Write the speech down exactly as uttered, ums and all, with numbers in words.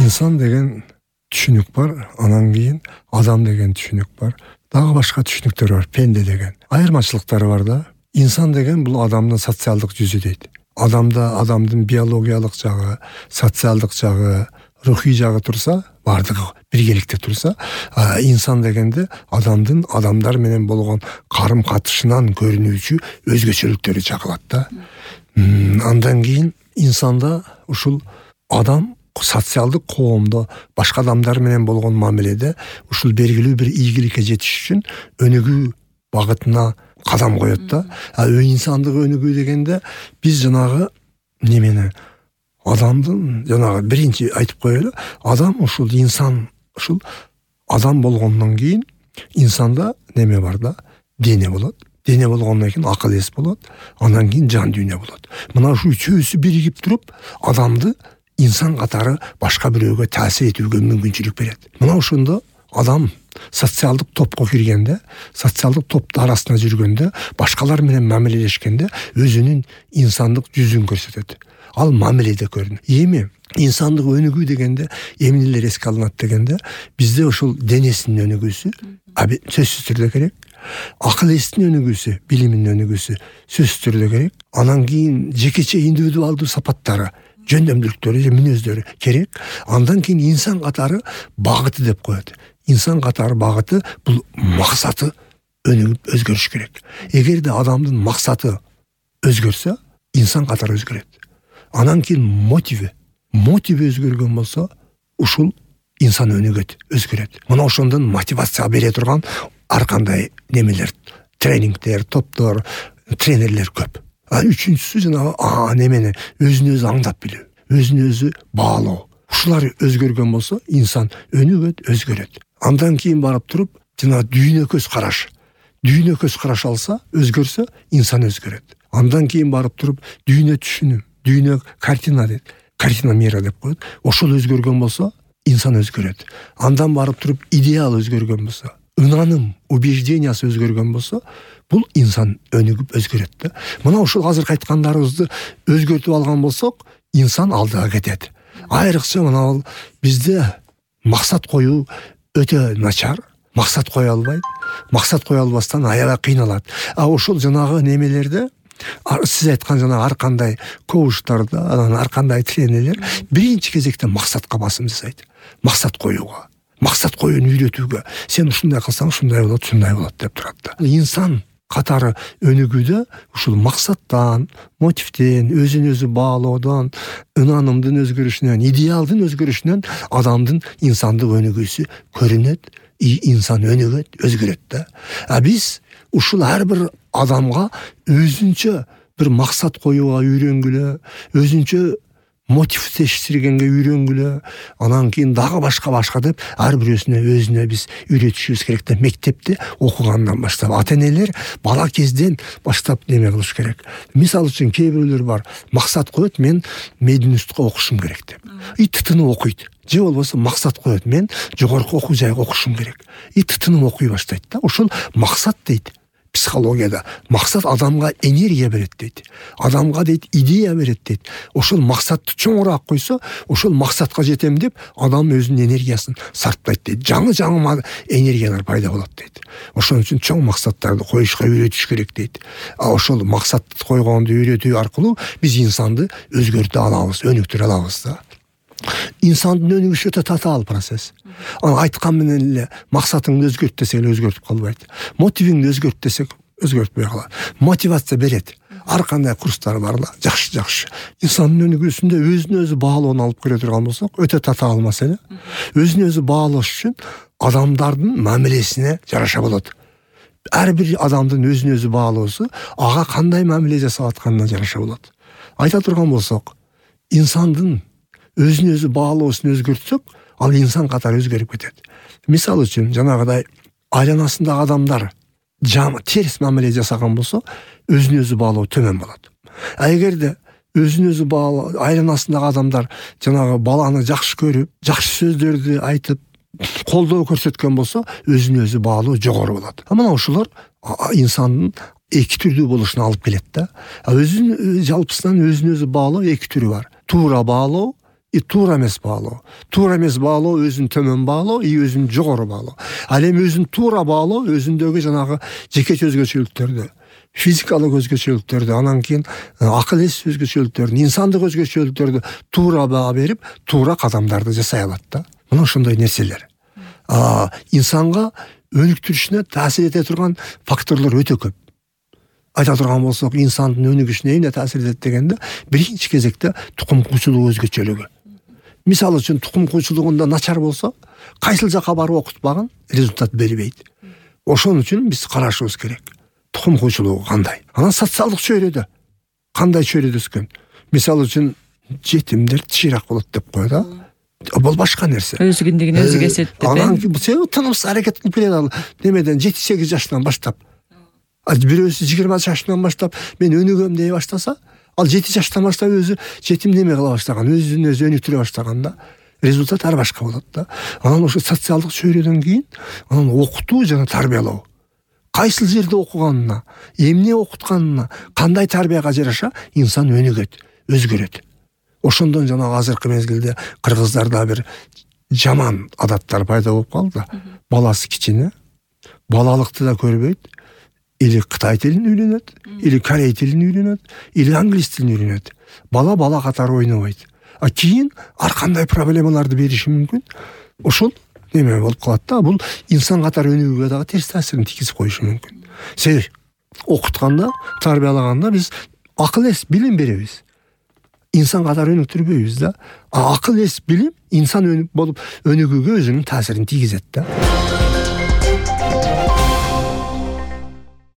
инсан деген түшүнүк бар, анан кийин адам деген түшүнүк бар. Дагы башка түшүнүктөр бар, пенде деген. Айырмачылыктары бар да. Инсан деген бул адамдын социалдык жүзү дейт. Адамда адамдын биологиялык жагы, социалдык жагы, рухий жагы турса, бардыгы биргеликте турса, инсан дегенде адамдын адамдар менен болгон карым-катышынан көрүнүүчү өзгөчөлүктөрү чагылат да. Андан кийин инсанда ушул адам социалдык коомдо башка адамдар менен болгон мамиледе ушул белгилүү бир ийгиликке жетиш үчүн өнүгүү багытына кадам коет да. А инсандык өнүгүү дегенде биз жанагы немени адамдын жанагы биринчи айтып коелу, адам ушул инсан ушул адам болгондон кийин инсанда неме бар да, дене болот. Дене болгондон кийин акыл эс болот, андан кийин жан дүйнө болот. Мына ушул үчөөсү биригип туруп адамды инсан катары башка бирөөгө таасир этүүгө мүмкүнчүлүк берет. Мына ошондо адам социалдык топко киргенде, социалдык топтун арасында жүргөндө, башкалар менен мамилелешкенде өзүнүн инсандык жүзүн көрсөтөт. Ал мамиледе көрүнөт. Эми инсандык өнүгүү дегенде эмнелер эске алынат дегенде, бизде ошол денесинин өнүгүүсү сөзсүз түрдө керек. Акыл эстин өнүгүүсү, билимдин өнүгүүсү сөзсүз түрдө керек. Анан кийин жекече индивидуалдуу сапаттары, жөндөмдүүлүктөрү, мүнөздөрү керек. Андан кийин инсан катары багыты деп коет. Инсан катары багыты бул максаты өнүгүп өзгөрүш керек. Эгерде адамдын максаты өзгөрсө, инсан катары өзгөрөт. Анан кийин мотиви, мотиви өзгөргөн болсо, ушул инсан өнүгөт, өзгөрөт. Мына ошондон мотивация бере турган ар кандай немелер, тренингдер, топтор, тренерлер көп. А үчүнчүсү жанагы а немени өзүн өзү аңдап билүү, өзүн өзү баалоо. Ушулар өзгөргөн болсо, инсан өнүгөт, өзгөрөт. Андан кийин барып туруп, жана дүйнө көз караш. Дүйнө көз караш алса, өзгөрсө, инсан өзгөрөт. Андан кийин барып туруп, дүйнө түшүнүү, дүйнө картина дейт. Картина мира деп коет. Ошол өзгөргөн болсо, инсан өзгөрөт. Андан барып туруп, идеал өзгөргөн болсо, ынаным, убеждениясы өзгөргөн болсо, бул инсан өнүгүп өзгөрөт да. Мына ушул азыркы айткандарыбызды өзгөртүп алган болсок, инсан алдыга кетет. Айрыкча мына бизде максат коюу өтө начар. Максат кое албайт. Максат кое албастан аябай кыйналат. А ошол жанагы немелерде сиз айткан жана ар кандай коучтарда, анан ар кандай тренерлер биринчи кезекте максатка басым жасайт. Максат коюуга, максат коюуну үйрөтүүгө. Сен ушундай кылсаң, ушундай болот, ушундай болот деп турат да. Инсан катары өнүгүүдө ушул максаттан, мотивден, өзүн өзү баалоодон, ынанымдын өзгөрүшүнөн, идеалдын өзгөрүшүнөн адамдын инсандык өнүгүүсү көрүнөт, инсан өнүгөт, өзгөрөт да. А биз ушул ар бир адамга өзүнчө бир максат коюуга үйрөнгүлө, өзүнчө мотив тештиргенге үйрөнгүлө, анан кийин дагы башка-башка деп ар бирөөсүнө өзүнө биз үйрөтүшүбүз керек да. Мектепте окугандан баштап, ата-энелер бала кезден баштап неме кылыш керек. Мисалы үчүн кээ бирөөлөр бар, максат коет, мен Мединститутка окушум керек деп. И тытынып окуйт. Же болбосо максат коет, мен жогорку окуу жайга окушум керек. И тытынып окуй баштайт да. Ошол максат дейт. Психологияда максат адамга энергия берет дейт. Адамга дейт идея берет дейт. Ошол максатты чоңураак койсо, ошол максатка жетем деп адам өзүнүн энергиясын сарптайт дейт. Жаңы-жаңы энергиялар пайда болот дейт. Ошон үчүн чоң максаттарды коюшка үйрөтүш керек дейт. А ошол максатты койгонду үйрөтүү аркылуу биз инсанды өзгөртө алабыз, өнүктүрө алабыз да. Инсандын өнүгүшү өтө татаал процесс. Аны айткан менен эле максатыңды өзгөрт десек эле өзгөртүп калбайт. Мотивиңди өзгөрт десек өзгөртпөй калат. Мотивация берет. Ар кандай курстар бар да, жакшы-жакшы. Инсандын өнүгүүсүндө өзүн өзү баалоону алып келе турган болсок, өтө татаал маселе. Өзүн өзү баалош үчүн адамдардын мамилесине жараша болот. Ар бир адамдын өзүн өзү баалоосу ага кандай мамиле жасап атканына жараша болот. Айта турган болсок, инсандын өзүн өзү баалоосун өзгөртсөк, ал инсан катары өзгөрүп кетет. Мисалы үчүн, жанагыдай айланасындагы адамдар жаман терс мамиле жасаган болсо, өзүн өзү баалоо төмөн болот. А эгерде өзүн өзү баалоо, айланасындагы адамдар жанагы баланы жакшы көрүп, жакшы сөздөрдү айтып, колдоо көрсөткөн болсо, өзүн өзү баалоо жогору болот. А мына ушулар инсандын эки түрдүү болушуна алып келет да. А өзүн жалпысынан өзүн өзү баалоо эки түрү бар. Туура баалоо, и туура эмес баалоо. Туура эмес баалоо өзүн төмөн баалоо, и өзүн жогору баалоо. Ал эми өзүн туура баалоо өзүндөгү жанагы жеке өзгөчөлүктөрдү, физикалык өзгөчөлүктөрдү, анан кийин акыл эс өзгөчөлүктөрдү, инсандык өзгөчөлүктөрдү туура баа берип, туура кадамдарды жасай алат да. Мына ошондой нерселер. А инсанга өнүктүрүшүнө таасир эте турган факторлор өтө көп. Айта турган болсок, инсандын өнүгүшүнө эмне таасир этет дегенде, биринчи кезекте тукум куучулук өзгөчөлүгү. Мисалы үчүн тукум куучулугунда начар болсо, кайсыл жака барып окутпаган результат бербейт. Ошон үчүн биз карашыбыз керек. Тукум куучулугу кандай? Анан социалдык чөйрөдө кандай чөйрөдө өскөн? Мисалы үчүн жетимдер тиширак болот деп коет да. Бул башка нерсе. Өз киндигин өзү кесет деп. Анан себеби тынымсыз аракет кылып келет ал. Немеден жети сегиз жаштан баштап. Ал бирөөсү жыйырма жаштан баштап мен өнүгөм дей баштаса, ал жети жаштан баштап өзү жетим неме кыла баштаган, өзүн өзү өнүктүрө баштаган да. Результат ар башка болот да. Анан ошо социалдык чөйрөдөн кийин анан окутуу жана тарбиялоо. Кайсыл жерде окуганына, эмне окутканына, кандай тарбияга жараша инсан өнүгөт, өзгөрөт. Ошондон жана азыркы мезгилде кыргыздарда бир жаман адаттар пайда болуп калды. Баласы кичине, балалыкты да көрбөйт. Или Кытай тилин үйрөнөт, или Корей тилин үйрөнөт, или англис тилин үйрөнөт. Бала бала катары ойнобойт. А кийин ар кандай проблемаларды бериши мүмкүн. Ошол неме болуп калат да. Бул инсан катары өнүгүүгө дагы терс таасирин тийгизип коюшу мүмкүн. Себеби окутканда, тарбиялаганда биз акыл эс, билим беребиз. Инсан катары өнүктүрбөйбүз да. А акыл эс, билим инсан өнүк болуп өнүгүүгө өзүнүн таасирин тийгизет да.